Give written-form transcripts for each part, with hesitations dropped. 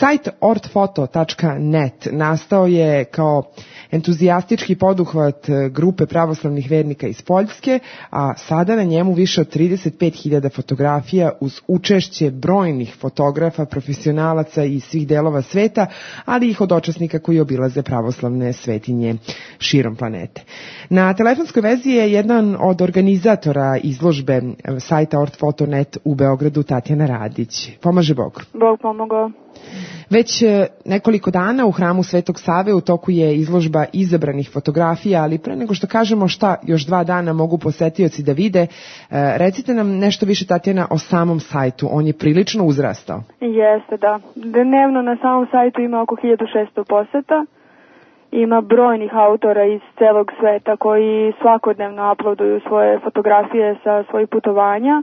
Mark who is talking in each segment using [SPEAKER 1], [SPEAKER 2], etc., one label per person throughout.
[SPEAKER 1] Sajt ortfoto.net nastao je kao entuzijastički poduhvat grupe pravoslavnih vernika iz Poljske, a sada na njemu više od 35.000 fotografija uz učešće brojnih fotografa, profesionalaca iz svih delova sveta, ali i hodočasnika koji obilaze pravoslavne svetinje širom planete. Na telefonskoj vezi je jedan od organizatora izložbe sajta ortfoto.net u Beogradu, Tatjana Radić. Pomaže Bog.
[SPEAKER 2] Bog pomogao.
[SPEAKER 1] Već nekoliko dana u hramu Svetog Save u toku je izložba izabranih fotografija, ali pre nego što kažemo šta još 2 dana mogu posetioci da vide, recite nam nešto više, Tatjana, o samom sajtu. On je prilično uzrastao.
[SPEAKER 2] Jeste, da. Dnevno na samom sajtu ima oko 1600 poseta. Ima brojnih autora iz celog sveta koji svakodnevno uploaduju svoje fotografije sa svojih putovanja.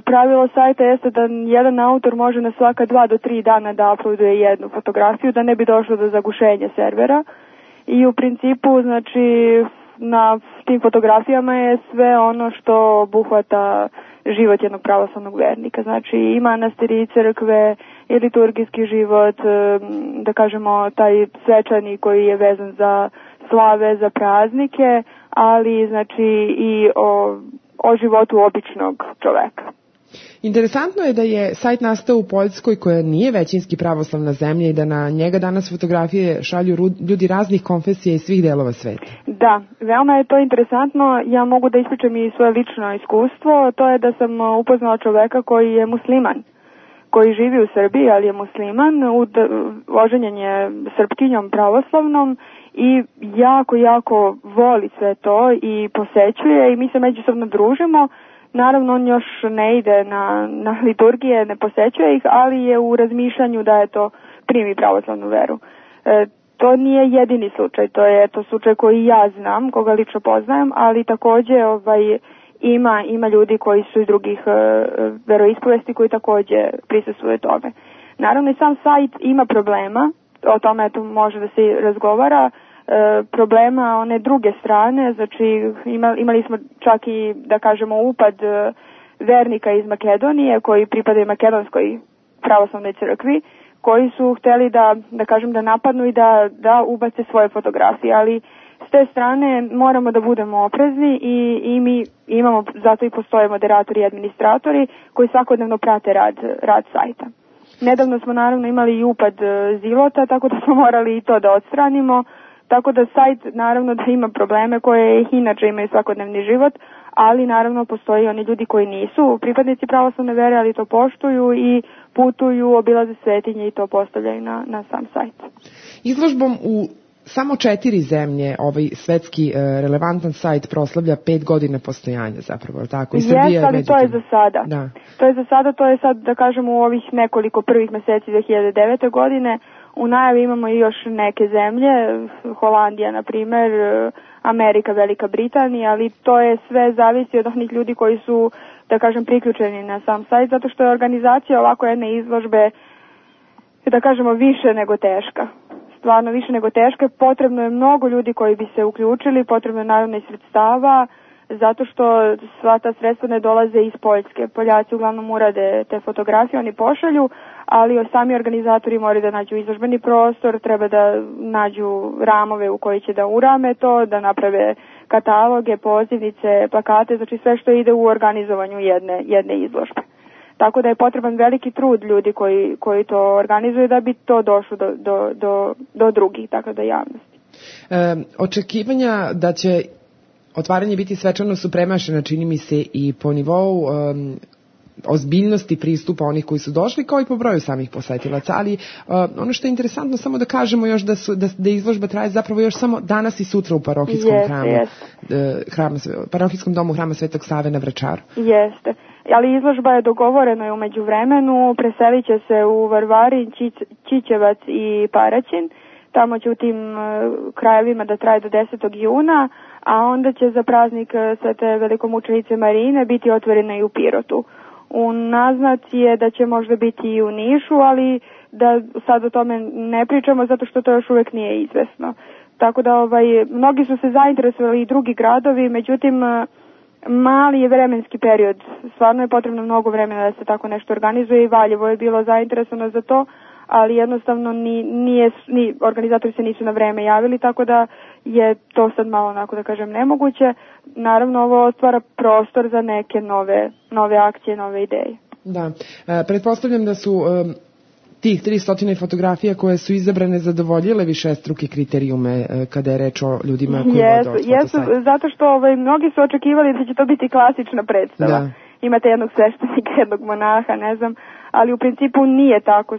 [SPEAKER 2] Pravilo sajta jeste da jedan autor može na svaka 2 do 3 dana da uploaduje jednu fotografiju, da ne bi došlo do zagušenja servera. I u principu, znači, na tim fotografijama je sve ono što obuhvata život jednog pravoslavnog vernika. Znači, i manastiri, i crkve, i liturgijski život, da kažemo taj svečani koji je vezan za slave, za praznike, ali znači i o životu običnog čoveka.
[SPEAKER 1] Interesantno je da je sajt nastao u Poljskoj, koja nije većinski pravoslavna zemlja, i da na njega danas fotografije šalju ljudi raznih konfesija i svih delova sveta.
[SPEAKER 2] Da, veoma je to interesantno. Ja mogu da ispričam i svoje lično iskustvo. To je da sam upoznala čoveka koji je musliman, koji živi u Srbiji, ali je musliman, oženjen je Srpkinjom pravoslavnom i jako voli sve to i posećuje i mi se međusobno družimo. Naravno, on još ne ide na liturgije, ne posećuje ih, ali je u razmišljanju da je to primi pravoslavnu veru. To nije jedini slučaj, to je slučaj koji ja znam, koga lično poznajem, ali takođe ima ljudi koji su iz drugih veroispovesti koji takođe prisustvuju tome. Naravno, i sam sajt ima problema, o tome tu može da se razgovara, problema one druge strane, znači imali smo čak i, da kažemo, upad vernika iz Makedonije koji pripadaju Makedonskoj pravoslavnoj crkvi, koji su hteli da napadnu i da ubace svoje fotografije, ali s te strane moramo da budemo oprezni i mi imamo, zato i postoje moderatori i administratori koji svakodnevno prate rad sajta. Nedavno smo naravno imali i upad zilota, tako da smo morali i to da odstranimo, tako da sajt naravno da ima probleme koje inače imaju svakodnevni život, ali naravno postoji oni ljudi koji nisu pripadnici pravoslavne vere, ali to poštuju i putuju, obilaze svetinje i to postavljaju na sam sajt.
[SPEAKER 1] Izložbom u samo 4 zemlje ovaj svetski relevantan sajt proslavlja 5 godina postojanja zapravo, tako?
[SPEAKER 2] Jeste, ali to je za sada. Da. To je sad, da kažemo, u ovih nekoliko prvih meseci 2009. godine. U najavi imamo i još neke zemlje, Holandija, na primer, Amerika, Velika Britanija, ali to je sve zavisi od onih ljudi koji su, da kažem, priključeni na sam sajt, zato što je organizacija ovako jedne izložbe, da kažemo, više nego teška. Stvarno više nego teška. Potrebno je mnogo ljudi koji bi se uključili, potrebno je naravno i sredstava, zato što sva ta sredstva ne dolaze iz Poljske. Poljaci uglavnom urade te fotografije, oni pošalju, ali sami organizatori moraju da nađu izložbeni prostor, treba da nađu ramove u koji će da urame to, da naprave kataloge, pozivnice, plakate, znači sve što ide u organizovanju jedne izložbe. Tako da je potreban veliki trud ljudi koji to organizuju da bi to došlo do drugih, tako da javnosti.
[SPEAKER 1] Očekivanja da će otvaranje biti svečano su premašena, čini mi se, i po nivou ozbiljnosti pristupa onih koji su došli, kao i po broju samih posetilaca, ali ono što je interesantno, samo da kažemo još da izložba traje zapravo još samo danas i sutra u parohijskom parohijskom domu Hrama Svetog Save na Vračaru.
[SPEAKER 2] Jeste, ali izložba je dogovorena u međuvremenu, preselit će se u Varvarin, Čičevac i Paraćin, tamo će u tim krajevima da traje do 10. juna, a onda će za praznik Svete velikomučenice Marine biti otvorena i u Pirotu. U naznaci je da će možda biti i u Nišu, ali da sad o tome ne pričamo zato što to još uvek nije izvesno. Tako da mnogi su se zainteresovali i drugi gradovi, međutim mali je vremenski period. Stvarno je potrebno mnogo vremena da se tako nešto organizuje i Valjevo je bilo zainteresovano za to, ali jednostavno organizatori se nisu na vreme javili, tako da je to sad malo onako da kažem nemoguće. Naravno ovo otvara prostor za neke nove akcije, nove ideje.
[SPEAKER 1] Da, pretpostavljam da su tih 300 fotografija koje su izabrane zadovoljile višestruke kriterijume kada je reč o ljudima koji vode od
[SPEAKER 2] Jesu, zato što mnogi su očekivali da će to biti klasična predstava. Da. Imate jednog sveštenika, jednog monaha, ne znam, ali u principu nije tako.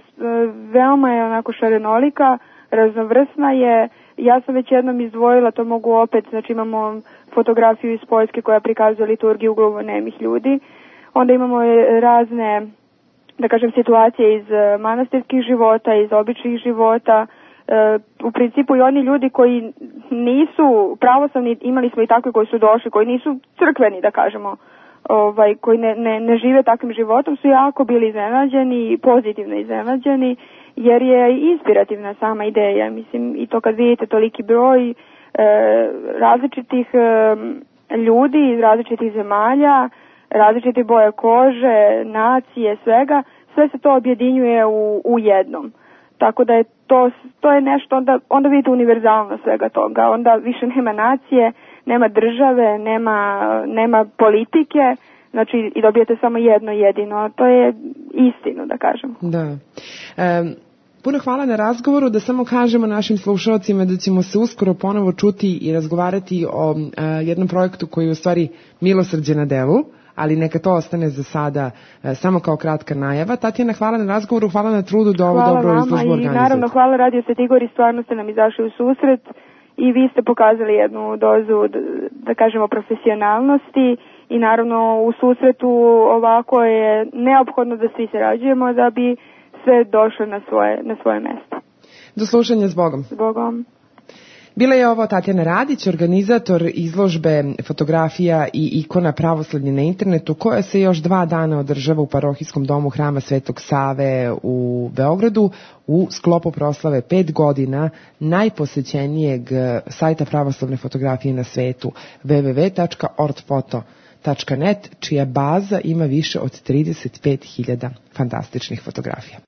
[SPEAKER 2] Veoma je onako šarenolika, raznovrsna je. Ja sam već jednom izdvojila, to mogu opet, znači imamo fotografiju iz Poljske koja prikazuje liturgiju gluvonemih ljudi. Onda imamo razne, da kažem, situacije iz manastirskih života, iz običnih života. U principu i oni ljudi koji nisu pravoslavni, imali smo i takvi koji su došli, koji nisu crkveni, da kažemo, koji ne žive takvim životom, su jako bili iznenađeni i pozitivno iznenađeni, jer je inspirativna sama ideja. Mislim, i to kad vidite toliki broj različitih ljudi iz različitih zemalja, različite boje kože, nacije, svega, sve se to objedinjuje u jednom. Tako da je to je nešto, onda vidite univerzalno svega toga. Onda više nema nacije, nema države, nema politike, znači i dobijete samo jedno jedino. To je istino, da kažem.
[SPEAKER 1] Da. Puno hvala na razgovoru, da samo kažemo našim slušalcima da ćemo se uskoro ponovo čuti i razgovarati o jednom projektu koji je u stvari milosrđe na delu, ali neka to ostane za sada samo kao kratka najava. Tatjana, hvala na razgovoru, hvala na trudu da ovu dobro izložbu organizujete. Hvala vama i
[SPEAKER 2] naravno hvala Radio Svetigori, stvarno ste nam izašli u susret i vi ste pokazali jednu dozu, da kažemo, profesionalnosti i naravno u susretu ovako je neophodno da svi sarađujemo da bi sve došlo na svoje mesto.
[SPEAKER 1] Do slušanja, s Bogom.
[SPEAKER 2] S Bogom.
[SPEAKER 1] Bila je ovo Tatjana Radić, organizator izložbe fotografija i ikona pravoslavlje na internetu, koja se još 2 dana održava u parohijskom domu Hrama Svetog Save u Beogradu u sklopu proslave 5 godina najposećenijeg sajta pravoslavne fotografije na svetu www.ortfoto.net, čija baza ima više od 35.000 fantastičnih fotografija.